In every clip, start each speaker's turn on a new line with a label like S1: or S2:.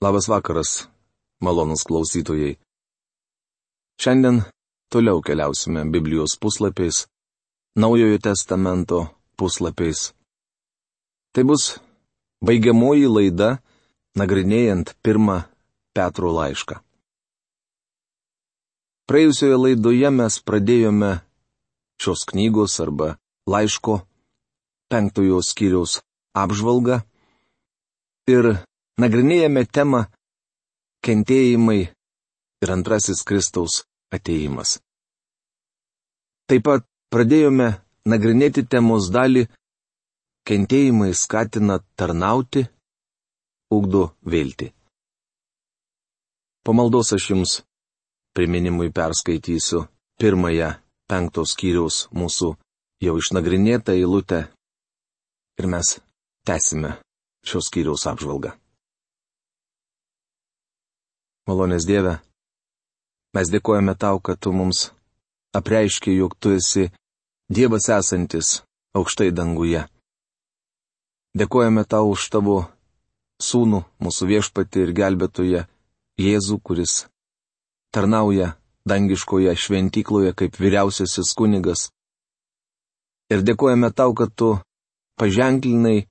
S1: Labas vakaras, malonūs klausytojai. Šiandien toliau keliausime Biblijos puslapiais, Naujojo testamento puslapiais. Tai bus baigiamoji laida, nagrinėjant 1 Petro laišką. Praėjusioje laidoje mes pradėjome šios knygos arba laiško 5 skyriaus apžvalgą ir nagrinėjame temą kentėjimai ir antrasis Kristaus atėjimas. Taip pat pradėjome nagrinėti temos dalį kentėjimai skatina tarnauti, ugdo viltį. Po maldos aš jums priminimui perskaitysiu 1 5 skyriaus mūsų jau išnagrinėtą eilutę ir mes tęsime šios skyriaus apžvalgą. Malonės Dieve, mes dėkojame Tau, kad Tu mums apreiški, jog Tu esi Dievas esantis aukštai danguje. Dėkojame Tau už Tavo Sūnų, mūsų viešpatį ir gelbėtoją Jėzų, kuris tarnauja dangiškoje šventykloje kaip vyriausiasis kunigas. Ir dėkojame Tau, kad Tu paženklinai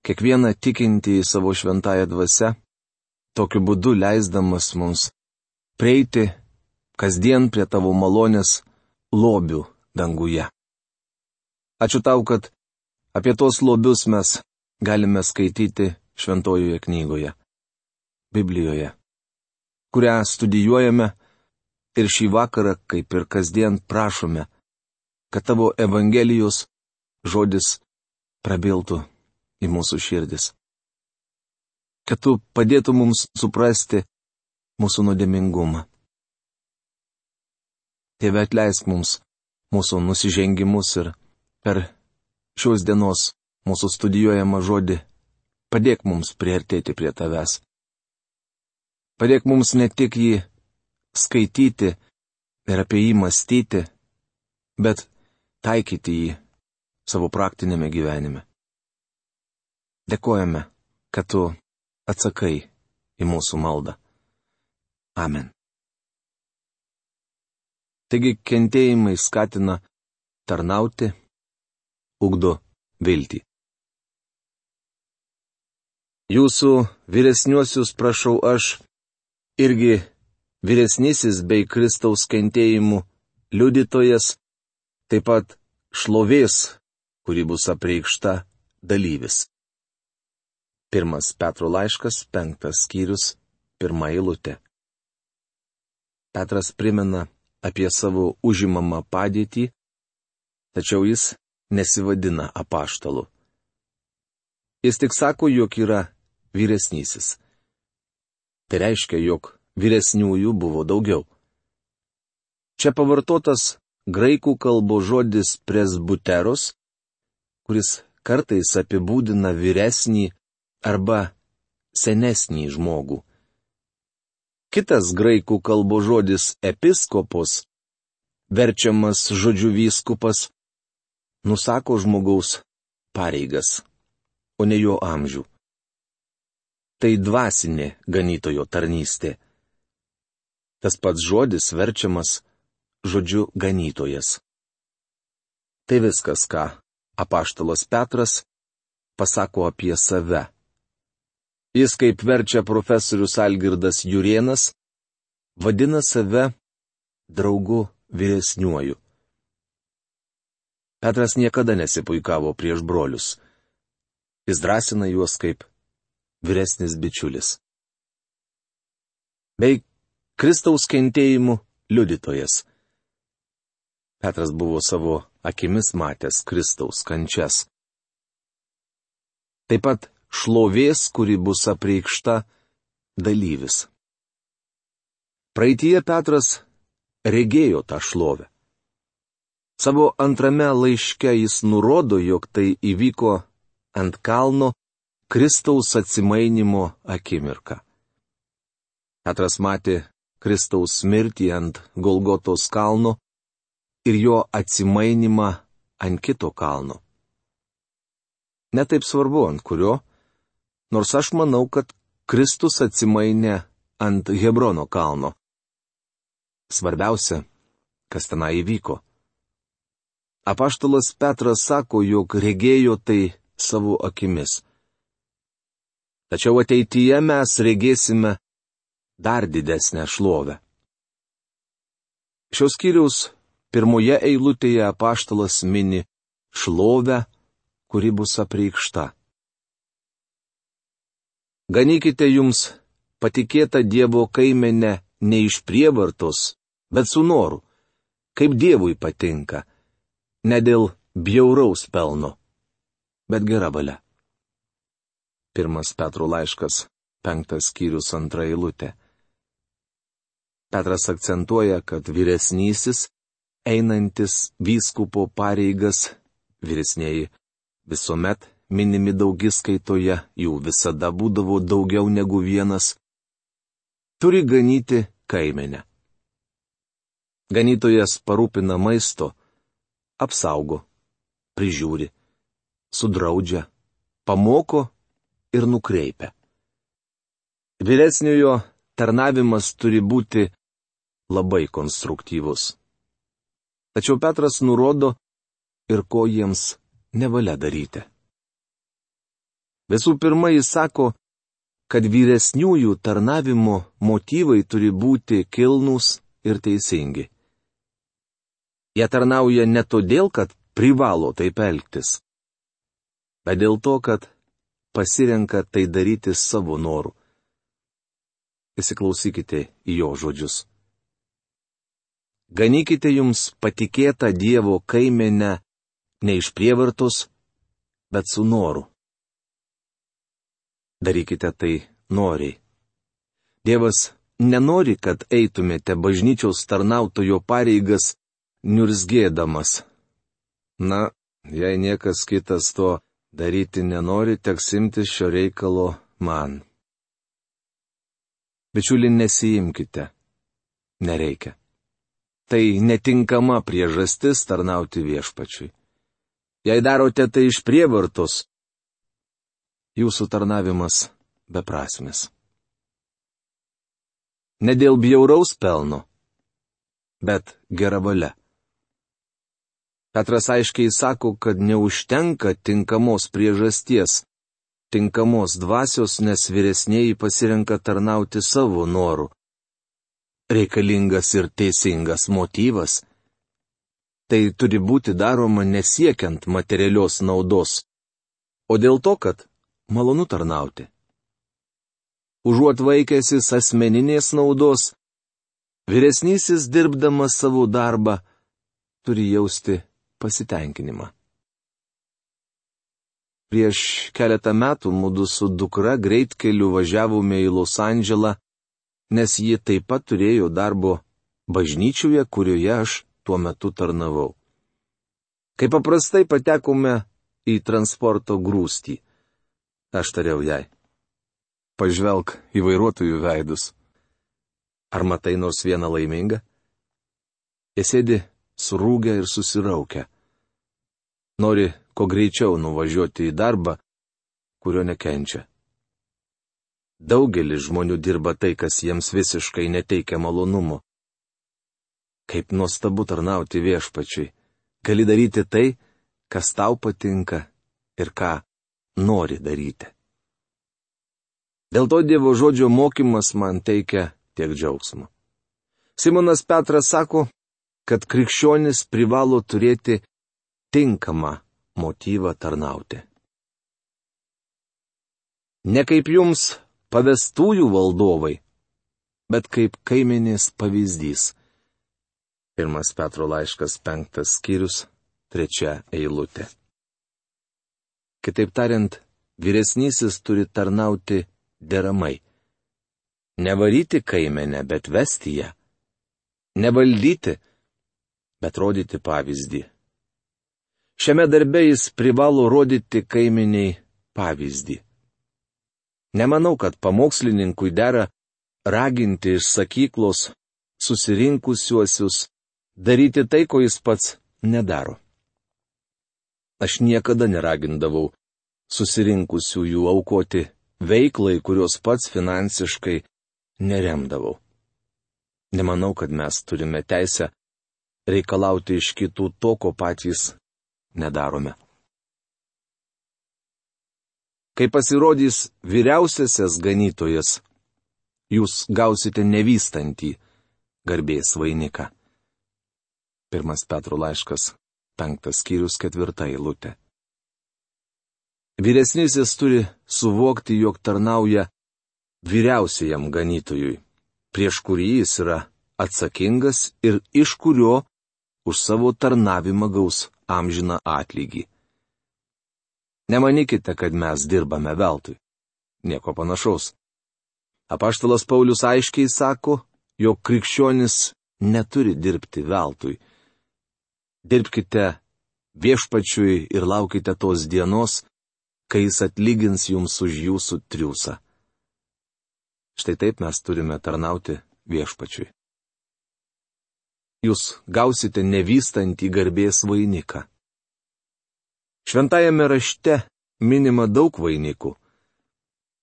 S1: kiekvieną tikintį į savo šventąją dvasią, tokiu būdu leisdamas mums prieiti kasdien prie Tavo malonės lobių danguje. Ačiū Tau, kad apie tos lobius mes galime skaityti šventojoje knygoje, Biblijoje, kurią studijuojame ir šį vakarą, kaip ir kasdien prašome, kad Tavo Evangelijos žodis prabiltų į mūsų širdis. Kad Tu padėtų mums suprasti mūsų nuodėmingumą. Tėve, atleisk mums mūsų nusižengimus ir per šios dienos mūsų studijuojamą žodį padėk mums priartėti prie Tavęs. Padėk mums ne tik jį skaityti ir apie jį mąstyti, bet taikyti jį savo praktinėme gyvenime. Dėkojame, kad Tu atsakai į mūsų maldą. Amen. Taigi kentėjimai skatina tarnauti, ugdo viltį. Jūsų vyresniuosius prašau aš, irgi vyresnysis bei Kristaus kentėjimų liudytojas, taip pat šlovės, kuri bus apreikšta, dalyvis. 1 Petro laiškas, 5 skyrius, 1 eilutė. Petras primena apie savo užimamą padėtį, tačiau jis nesivadina apaštalu. Jis tik sako, jog yra vyresnysis. Tai reiškia, jog vyresniųjų buvo daugiau. Čia pavartotas graikų kalbos žodis presbuteros, kuris kartais apibūdina vyresnį arba senesnį žmogų. Kitas graikų kalbos žodis episkopos, verčiamas žodžiu vyskupas, nusako žmogaus pareigas, o ne jo amžių. Tai dvasinė ganytojo tarnystė. Tas pats žodis verčiamas žodžiu ganytojas. Tai viskas, ką apaštalas Petras pasako apie save. Jis, kaip verčia profesorius Algirdas Jurėnas, vadina save draugu vyresniuoju. Petras niekada nesipuikavo prieš brolius. Jis drąsina juos kaip vyresnis bičiulis. Bei Kristaus kentėjimų liudytojas. Petras buvo savo akimis matęs Kristaus kančias. Taip pat šlovės, kuri bus apreikšta, dalyvis. Praeityje Petras regėjo tą šlovę. Savo antrame laiške jis nurodo, jog tai įvyko ant kalno Kristaus atsimainymo akimirką. Petras matė Kristaus mirtį ant Golgotos kalno ir jo atsimainymą ant kito kalno. Netaip svarbu, ant kurio, nors aš manau, kad Kristus atsimainė ant Hebrono kalno. Svarbiausia, kas tenai įvyko. Apaštalas Petras sako, jog regėjo tai savo akimis. Tačiau ateityje mes regėsime dar didesnę šlovę. Šios skyriaus pirmoje eilutėje apaštalas mini šlovę, kuri bus apreikšta. Ganykite jums patikėtą Dievo kaimenę ne iš prievartos, bet su noru, kaip Dievui patinka, ne dėl bjauraus pelno, bet gera valia. 1 Petro laiškas, 5 skyrius, 2 eilutė. Petras akcentuoja, kad vyresnysis, einantis vyskupo pareigas, vyresnieji visuomet minimi daugiskaitoje, jų visada būdavo daugiau negu vienas, turi ganyti kaimenę. Ganytojas parūpina maisto, apsaugo, prižiūri, sudraudžia, pamoko ir nukreipia. Vyresniojo tarnavimas turi būti labai konstruktyvus. Tačiau Petras nurodo ir ko jiems nevalia daryti. Visų pirma, jis sako, kad vyresniųjų tarnavimo motyvai turi būti kilnūs ir teisingi. Jie tarnauja ne todėl, kad privalo taip elgtis, bet dėl to, kad pasirenka tai daryti savo noru. Įsiklausykite į jo žodžius. Ganykite jums patikėtą Dievo kaimenę ne iš prievartos, bet su noru. Darykite tai noriai. Dievas nenori, kad eitumėte bažnyčios tarnautojo pareigas niurzgėdamas. Na, jei niekas kitas to daryti nenori, teks imtis šio reikalo man. Bičiuli, nesiimkite. Nereikia. Tai netinkama priežastis tarnauti viešpačiui. Jei darote tai iš prievartos, jūsų tarnavimas beprasmis. Ne dėl bjauraus pelno, bet gera valia. Petras aiškiai sako, kad neužtenka tinkamos priežasties, tinkamos dvasios, nes vyresnieji pasirenka tarnauti savo noru. Reikalingas ir teisingas motyvas. Tai turi būti daroma nesiekiant materialios naudos, o dėl to, kad malonu tarnauti. Užuot vaikęsis asmeninės naudos, vyresnysis dirbdamas savo darbą turi jausti pasitenkinimą. Prieš keletą metų mudu su dukra greitkeliu važiavome į Los Andželą, nes ji taip pat turėjo darbo bažnyčioje, kurioje aš tuo metu tarnavau. Kaip paprastai patekome į transporto grūstį. Aš tariau jai: pažvelk į vairuotojų veidus. Ar matai nors vieną laimingą? Jie sėdi surūgę ir susiraukę. Nori kuo greičiau nuvažiuoti į darbą, kurio nekenčia. Daugelis žmonių dirba tai, kas jiems visiškai neteikia malonumo. Kaip nuostabu tarnauti viešpačiui. Gali daryti tai, kas tau patinka ir ką nori daryti. Dėl to Dievo žodžio mokymas man teikia tiek džiaugsmo. Simonas Petras sako, kad krikščionis privalo turėti tinkamą motyvą tarnauti. Ne kaip jums pavestųjų valdovai, bet kaip kaimenės pavyzdys. 1 Petro laiškas, 5 skyrius, 3 eilutė. Kitaip tariant, vyresnysis turi tarnauti deramai. Nevaryti kaimenę, bet vesti ją. Nevaldyti, bet rodyti pavyzdį. Šiame darbe jis privalo rodyti kaimeniai pavyzdį. Nemanau, kad pamokslininkui dera raginti iš sakyklos susirinkusiuosius daryti tai, ko jis pats nedaro. Aš niekada neragindavau susirinkusiųjų aukoti veiklai, kurios pats finansiškai neremdavau. Nemanau, kad mes turime teisę reikalauti iš kitų to, ko patys nedarome. Kai pasirodys vyriausiasis ganytojas, jūs gausite nevystantį garbės vainiką. 1 Petro laiškas, 5 skyrius, 4 eilutė. Vyresnysis turi suvokti, jog tarnauja vyriausiajam ganytojui, prieš kurį jis yra atsakingas ir iš kurio už savo tarnavimą gaus amžiną atlygį. Nemanykite, kad mes dirbame veltui. Nieko panašaus. Apaštalas Paulius aiškiai sako, jog krikščionis neturi dirbti veltui. Dirbkite viešpačiui ir laukite tos dienos, kai jis atlygins jums už jūsų triūsą. Štai taip mes turime tarnauti viešpačiui. Jūs gausite nevystantį garbės vainiką. Šventajame rašte minima daug vainikų.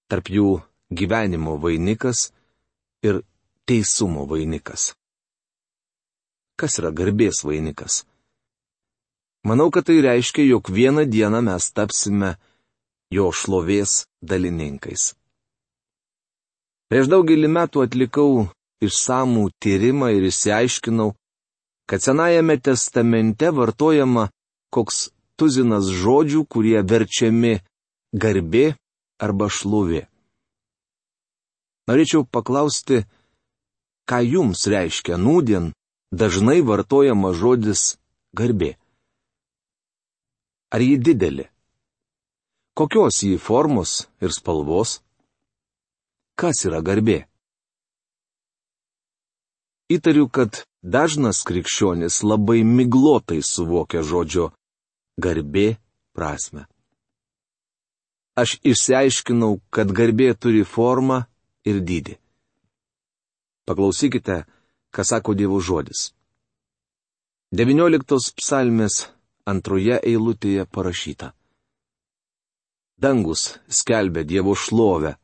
S1: Tarp jų gyvenimo vainikas ir teisumo vainikas. Kas yra garbės vainikas? Manau, kad tai reiškia, jog vieną dieną mes tapsime jo šlovės dalininkais. Prieš daugelį metų atlikau išsamų tyrimą ir išsiaiškinau, kad Senajame testamente vartojama koks tuzinas žodžių, kurie verčiami garbė arba šlovė. Norėčiau paklausti, ką jums reiškia nūdien dažnai vartojama žodis garbė? Ar ji didelė? Kokios ji formos ir spalvos? Kas yra garbė? Įtariu, kad dažnas krikščionis labai miglotai suvokia žodžio garbė prasme. Aš išsiaiškinau, kad garbė turi formą ir dydį. Paklausykite, ką sako Dievo žodis. 19 psalmės 2 eilutėje parašyta. Dangus skelbia Dievo šlovę.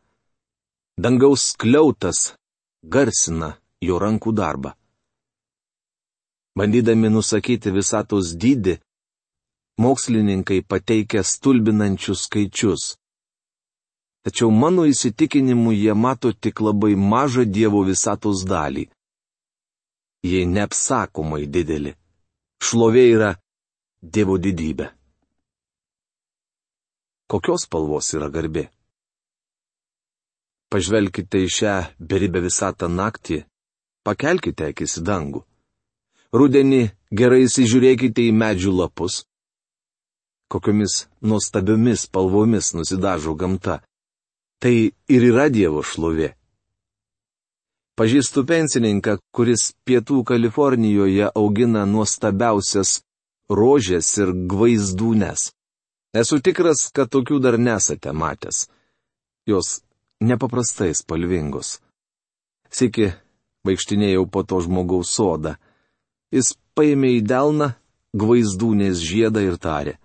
S1: Dangaus skliautas garsina jo rankų darbą. Bandydami nusakyti visatos dydį, mokslininkai pateikia stulbinančius skaičius. Tačiau mano įsitikinimu jie mato tik labai mažą Dievo visatos dalį. Jie neapsakomai dideli. Šlovė yra Dievo didybė. Kokios spalvos yra garbė? Pažvelkite į šią beribę visatą naktį, pakelkite akis į dangų. Rudenį gerai įsižiūrėkite į medžių lapus. Kokiomis nuostabiomis spalvomis nusidažo gamta. Tai ir yra Dievo šlovė. Pažįstu pensininką, kuris Pietų Kalifornijoje augina nuostabiausias rožės ir gvaizdūnes. Esu tikras, kad tokių dar nesate matęs. Jos nepaprastai spalvingos. Sykį vaikštinėjau po to žmogaus sodą. Jis paėmė į delną gvaizdūnės žiedą ir tarė.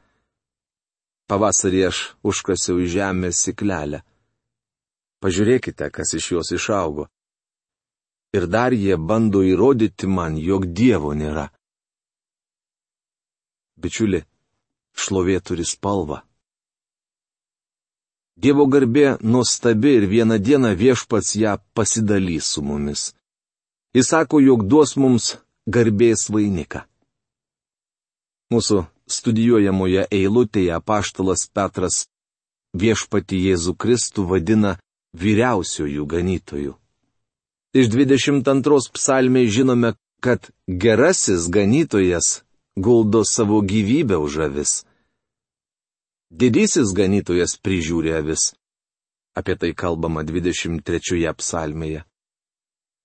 S1: Pavasarį aš užkasiau į žemę siklelę. Pažiūrėkite, kas iš jos išaugo. Ir dar jie bando įrodyti man, jog Dievo nėra. Bičiuli, šlovė turi spalvą. Dievo garbė nuostabi ir vieną dieną Viešpats ją pasidalys su mumis. Jis sako, jog duos mums garbės vainiką. Mūsų studijuojamoje eilutėje apaštalas Petras Viešpatį Jėzų Kristų vadina vyriausiuoju ganytoju. Iš 22 psalmės žinome, kad gerasis ganytojas guldo savo gyvybę už avis. Didysis ganytojas prižiūri avis. Apie tai kalbama 23 psalmėje.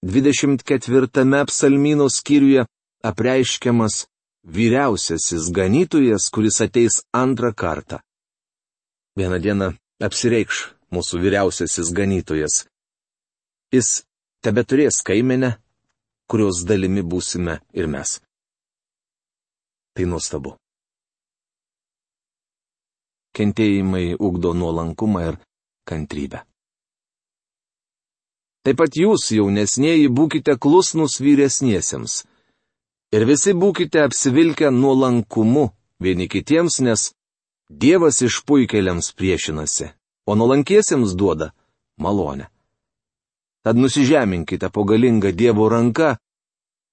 S1: 24 psalmyno skyriuje apreiškiamas vyriausiasis ganytojas, kuris ateis antrą kartą. Vieną dieną apsireikš mūsų vyriausiasis ganytojas. Jis tebeturės kaimenę, kurios dalimi būsime ir mes. Tai nuostabu. Kentėjimai ugdo nuolankumą ir kantrybę. Taip pat jūs, jaunesnieji, būkite klusnūs vyresniesiems. Ir visi būkite apsivilkę nuolankumu vieni kitiems, nes Dievas išpuikėliams priešinasi, o nuolankiesiems duoda malonę. Tad nusižeminkite po galingą Dievo ranką,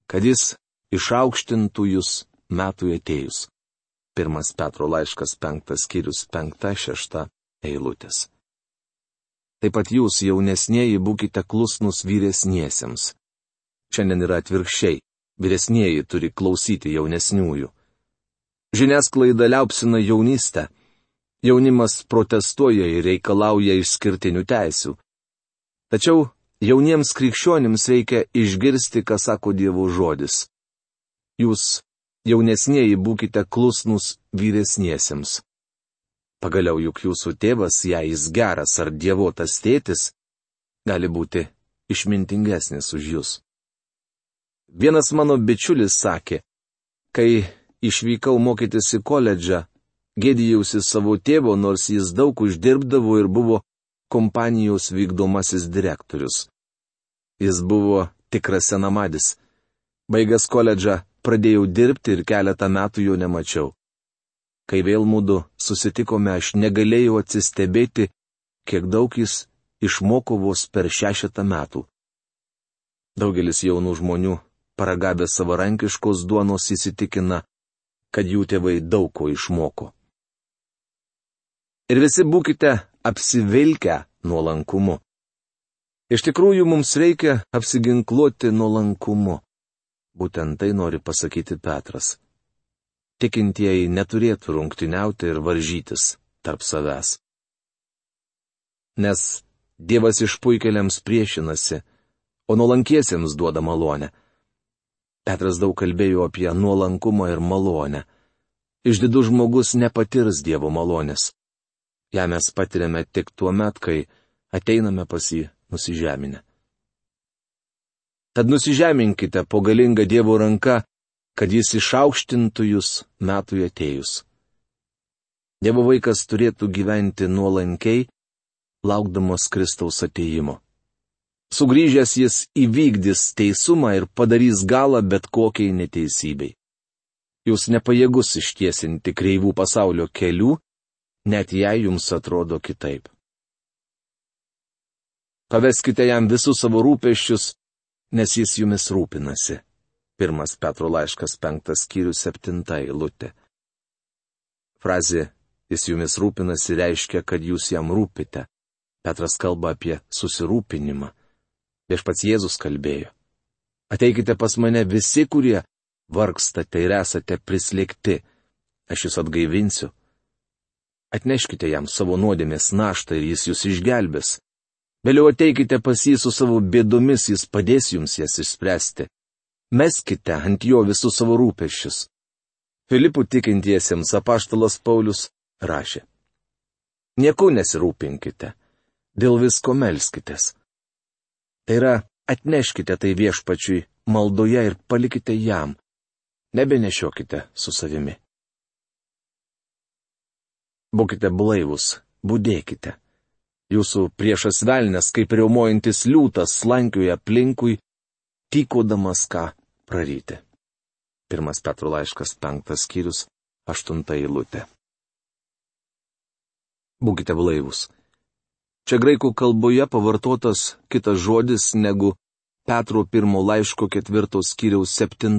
S1: kad jis išaukštintų jūs metui atėjus. 1 Petro laiškas 5 skyrius 5-6 eilutės. Taip pat jūs, jaunesnieji, būkite klusnūs vyresniesiems. Šiandien yra atvirkščiai. Vyresnieji turi klausyti jaunesniųjų. Žiniasklaida liaupsina jaunystę. Jaunimas protestuoja ir reikalauja išskirtinių teisių. Tačiau jauniems krikščionims reikia išgirsti, ką sako Dievo žodis. Jūs, jaunesnieji, būkite klusnūs vyresniesiems. Pagaliau juk jūsų tėvas, jei jis geras ar dievotas tėtis, gali būti išmintingesnis už jūs. Vienas mano bičiulis sakė, kai išvykau mokytis į koledžą, gėdijausi savo tėvo, nors jis daug uždirbdavo ir buvo kompanijos vykdomasis direktorius. Jis buvo tikras senamadis. Baigęs koledžą, pradėjau dirbti ir keletą metų jo nemačiau. Kai vėl mudu susitikome, aš negalėjau atsistebėti, kiek daug jis išmoko vos per 6 metų. Daugelis jaunų žmonių, paragavę savarankiškos duonos, įsitikina, kad jų tėvai daug ko išmoko. Ir visi būkite apsivilkę nuolankumu. Iš tikrųjų, mums reikia apsiginkluoti nuolankumu. Būtent tai nori pasakyti Petras. Tikintieji neturėtų rungtyniauti ir varžytis tarp savęs. Nes Dievas išpuikėliams priešinasi, o nuolankiesiems duoda malonę. Petras daug kalbėjo apie nuolankumą ir malonę. Išdidus žmogus nepatirs Dievo malonės. Ja mes patiriame tik tuo met, kai ateiname pas jį nusižeminę. Tad nusižeminkite po galingą Dievo ranką, kad jis išaukštintų jūs metui atėjus. Dievo vaikas turėtų gyventi nuolankiai, laukdamas Kristaus atėjimo. Sugrįžęs jis įvykdys teisumą ir padarys galą bet kokiai neteisybei. Jūs nepajėgus ištiesinti kreivų pasaulio kelių, net jei jums atrodo kitaip. Paveskite jam visus savo rūpesčius, nes jis jumis rūpinasi. 1 Petro laiškas 5 skyrius 7 eilutė. Frazė "jis jumis rūpinasi" reiškia, kad jūs jam rūpite. Petras kalba apie susirūpinimą. Viešpats Jėzus kalbėjo: "Ateikite pas mane visi, kurie vargstate ir esate prislėgti, aš jūs atgaivinsiu. Atneškite jam savo nuodėmės naštą ir jis jūs išgelbės. Vėliau ateikite pas jį su savo bėdomis, jis padės jums jas išspręsti. Meskite ant jo visus savo rūpesčius." Filipų tikintiesiems apaštalas Paulius rašė: "Nieku nesirūpinkite, dėl visko melskitės. Tai yra, atneškite tai Viešpačiui maldoje ir palikite jam, nebenešiokite su savimi." Būkite blaivus, budėkite. Jūsų priešas velnias, kaip riaumojantis liūtas, slankioja aplinkui, tykodamas ką praryti. 1 Petro laiškas 5 skyrius 8 eilutė. Būkite blaivus. Čia graikų kalboje pavartotas kitas žodis negu Petro 1 laiško 4 skyriaus 7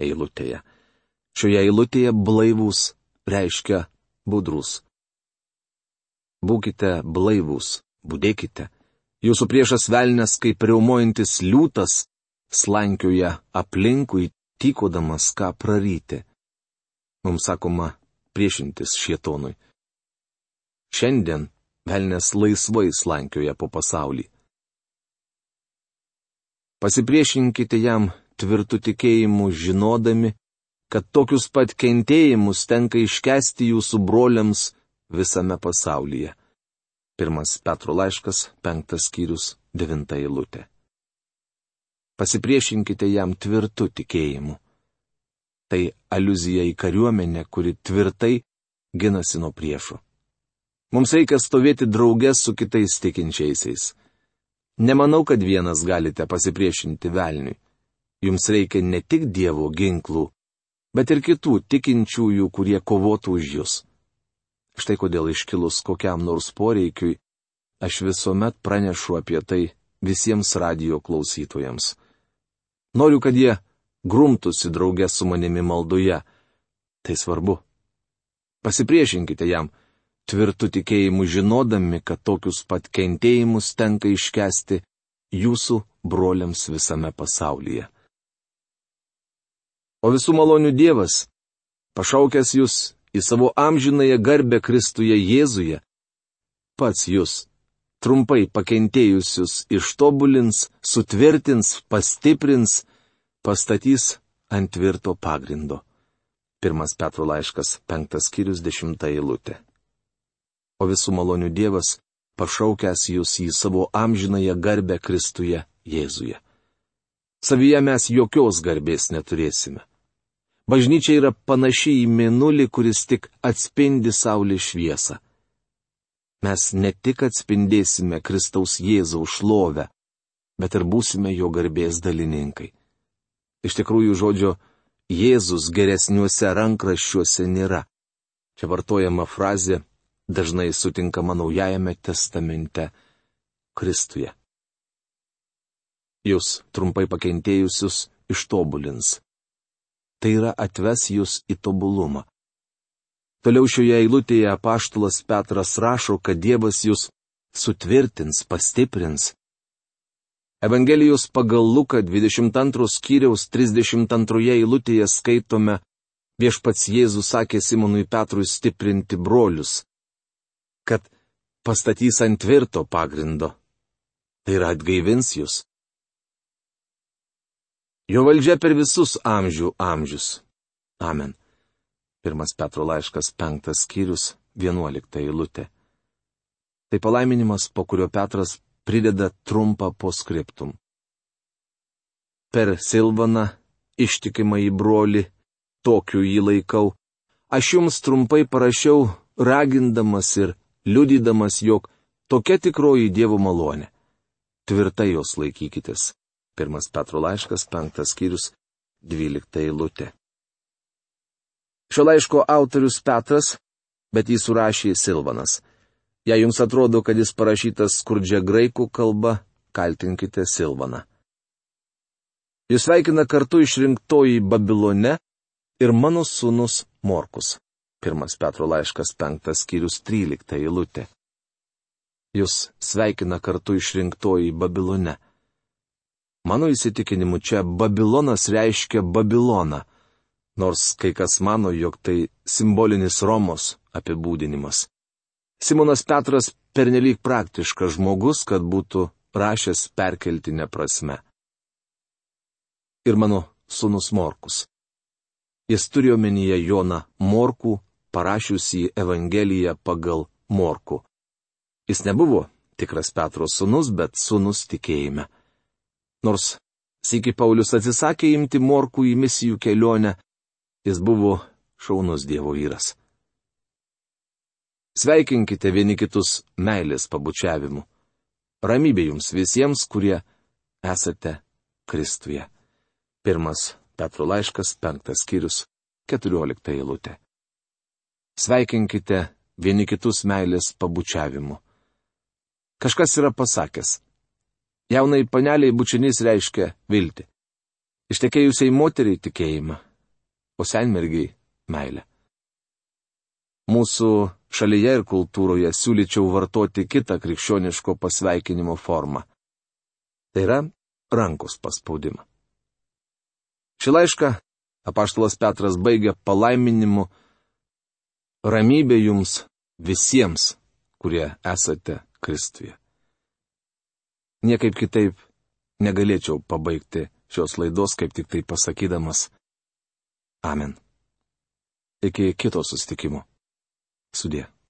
S1: eilutėje. Šioje eilutėje blaivus reiškia budrus. Būkite blaivus, budėkite. Jūsų priešas velnias, kaip riaumojantis liūtas, slankioja aplinkui, tykodamas ką praryti. Mums sakoma priešintis šėtonui. Šiandien velnias laisvai slankioja po pasaulį. Pasipriešinkite jam tvirtu tikėjimu, žinodami, kad tokius pat kentėjimus tenka iškęsti jūsų broliams visame pasaulyje. 1 Petro laiškas 5 skyrius 9 eilutė. Pasipriešinkite jam tvirtu tikėjimu. Tai aliuzija į kariuomenę, kuri tvirtai ginasi nuo priešų. Mums reikia stovėti drauge su kitais tikinčiaisiais. Nemanau, kad vienas galite pasipriešinti velniui. Jums reikia ne tik Dievo ginklų, bet ir kitų tikinčiųjų, kurie kovotų už jūs. Štai kodėl iškilus kokiam nors poreikiui, aš visuomet pranešu apie tai visiems radijo klausytojams. Noriu, kad jie grumtųsi draugę su manimi maldoje. Tai svarbu. Pasipriešinkite jam, tvirtu tikėjimu žinodami, kad tokius pat kentėjimus tenka iškęsti jūsų broliams visame pasaulyje. O visų malonių Dievas, pašaukęs jūs į savo amžinąją garbę Kristuje Jėzuje, pats jūs, trumpai pakentėjusius, ištobulins, sutvirtins, pastiprins, pastatys ant tvirto pagrindo. 1 Petro laiškas, 5 skyrius, 10 eilutė. O visų malonių Dievas, pašaukęs jūs į savo amžinąją garbę Kristuje Jėzuje. Savyje mes jokios garbės neturėsime. Bažnyčia yra panaši į mėnulį, kuris tik atspindi saulės šviesą. Mes ne tik atspindėsime Kristaus Jėzaus šlovę, bet ir būsime jo garbės dalininkai. Iš tikrųjų, žodžio Jėzus geresniuose rankraščiuose nėra. Čia vartojama frazė dažnai sutinkama Naujajame testamente Kristuje. Jūs trumpai pakentėjusius ištobulins. Tai yra atves jūs į tobulumą. Toliau šioje eilutėje apaštalas Petras rašo, kad Dievas jūs sutvirtins, pastiprins. Evangelijos pagal Luką 22 skyriaus 32 eilutėje skaitome, viešpats Jėzus sakė Simonui Petrui stiprinti brolius, kad pastatys ant tvirto pagrindo. Tai yra atgaivins jūs. Jo valdžia per visus amžius. Amen. 1 Petro laiškas 5 skyrius 11 eilutė. Tai palaiminimas, po kurio Petras prideda trumpą poskriptum. Per Silvaną, ištikimą į brolį, tokiu jį laikau, aš jums trumpai parašiau, ragindamas ir liudydamas, jog tokia tikroji Dievo malonė. Tvirtai jos laikykitės. 1 Petro laiškas 5 skyrius 12 eilutė. Šio laiško autorius Petras, bet jį surašė Silvanas. Jei jums atrodo, kad jis parašytas skurdžia graikų kalba, kaltinkite Silvaną. Jūs sveikina kartu išrinktoji Babilone ir mano sūnus Morkus. 1 Petro laiškas 5 skyrius 13 eilutė. Jūs sveikina kartu išrinktoji Babilone. Mano įsitikinimu čia Babilonas reiškia Babiloną, nors kai kas mano, jog tai simbolinis Romos apibūdinimas. Simonas Petras pernelyg praktiškas žmogus, kad būtų rašęs perkeltinę prasme. Ir mano sūnus Morkus. Jis turėjo omenyje Joną Morkų, parašiusį Evangeliją pagal Morkų. Jis nebuvo tikras Petro sūnus, bet sūnus tikėjime. Nors sykį Paulius atsisakė imti Morkų į misijų kelionę, jis buvo šaunus Dievo vyras. Sveikinkite vieni kitus meilės pabučiavimu. Ramybė jums visiems, kurie esate Kristuje. 1 Petro laiškas 5 skyrius 14 eilutė. Sveikinkite vieni kitus meilės pabučiavimu. Kažkas yra pasakęs. Jaunai paneliai bučinys reiškia viltį. Ištekėjusiai moteriai tikėjimą, o senmergiai meilę. Mūsų šalyje ir kultūroje siūlyčiau vartoti kitą krikščioniško pasveikinimo formą. Tai yra rankos paspaudimą. Šį laišką apaštalas Petras baigia palaiminimu: ramybė jums visiems, kurie esate Kristuje. Niekaip kitaip negalėčiau pabaigti šios laidos, kaip tik tai pasakydamas Amen. Iki kito susitikimo. Sudie.